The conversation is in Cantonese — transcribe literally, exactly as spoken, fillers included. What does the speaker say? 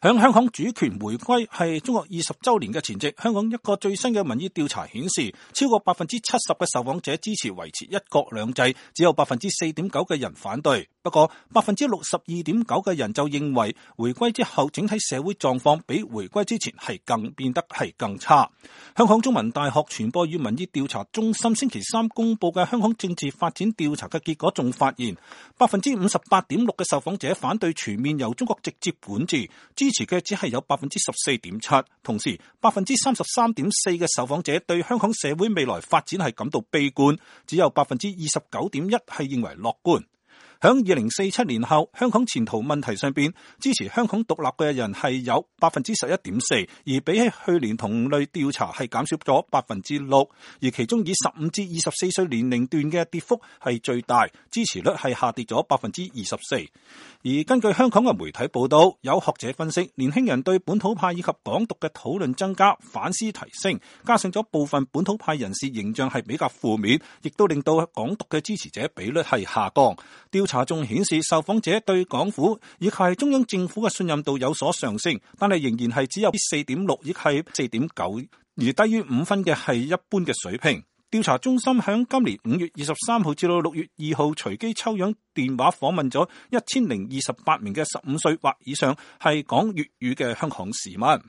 響香港主權回歸係中國二十周年嘅前夕，香港一個最新嘅民意調查顯示，超過百分之七十嘅受訪者支持維持一國兩制，只有百分之四點九嘅人反對。不過百分之六十二點九嘅人就認為，回歸之後整體社會狀況比回歸之前係更變得係更差。香港中文大學傳播與民意調查中心星期三公布嘅香港政治發展調查嘅結果，仲發現百分之五十八點六嘅受訪者反對全面由中國直接管治，支持嘅只係有百分之十四點七。同時百分之三十三點四嘅受訪者對香港社會未來發展係感到悲觀，只有百分之二十九點一係認為樂觀。響二零四七年後，香港前途問題上邊，支持香港獨立嘅人係有百分之十一點四，而比起去年同類調查係減少咗百分之六，而其中以十五至二十四歲年齡段嘅跌幅係最大，支持率係下跌咗百分之二十四。而根據香港嘅媒體報道，有學者分析，年輕人對本土派以及港獨嘅討論增加，反思提升，加上咗部分本土派人士形象係比較負面，亦都令到港獨嘅支持者比率係下降。調查仲顯示，受訪者對港府以及中央政府嘅信任度有所上升，但係仍然係只有四點六，亦係四點九，而低於五分嘅係一般嘅水平。調查中心響今年五月二十三號至到六月二號隨機抽樣電話訪問咗一千零二十八名嘅十五歲或以上係講粵語嘅香港市民。